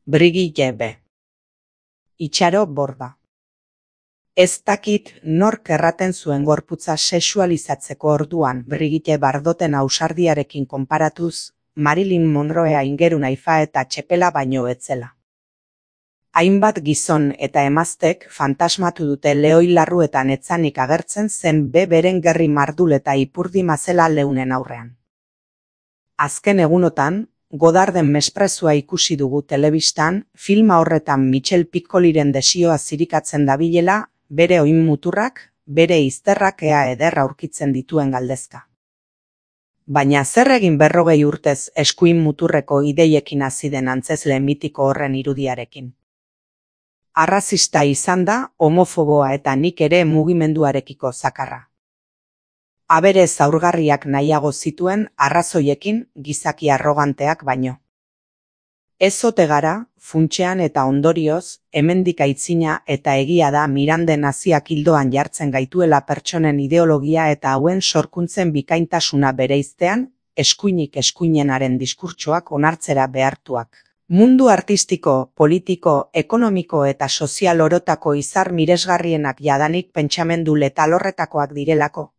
Brigitte B. Itxaro Borda. Ez dakit nork erraten zuen gorputza sexualizatzeko orduan Brigitte Bardoten ausardiarekin konparatuz, Marilyn Monroea ingeru naifa eta txepela baino etzela. Hainbat gizon eta emaztek fantasmatu dute lehoi larruetan etzanik agertzen zen beren gerri mardul eta ipurdi mazela leunen aurrean. Azken egunotan, Godarden mesprezua ikusi dugu telebistan, filma horretan Michel Piccoliren desioa zirikatzen dabilela, bere oin muturrak, bere izterrak ea ederra aurkitzen dituen galdezka. Baina zer egin 40 urtez eskuin muturreko ideiekin hasi den antzezle mitiko horren irudiarekin? Arrazista izan da, homofoboa eta nik ere mugimenduarekiko zakarra. Abere zaurgarriak nahiago zituen arrazoiekin gizaki arroganteak baino. Ez ote gara, funtsean eta ondorioz, hemendik aitzina eta egia da Miranden naziak hildoan jartzen gaituela pertsonen ideologia eta hauen sorkuntzen bikaintasuna bereiztean, eskuinik eskuinenaren diskurtsoak onartzera behartuak. Mundu artistiko, politiko, ekonomiko eta sozial orotako izar miresgarrienak jadanik pentsamendu letal horretakoak direlako.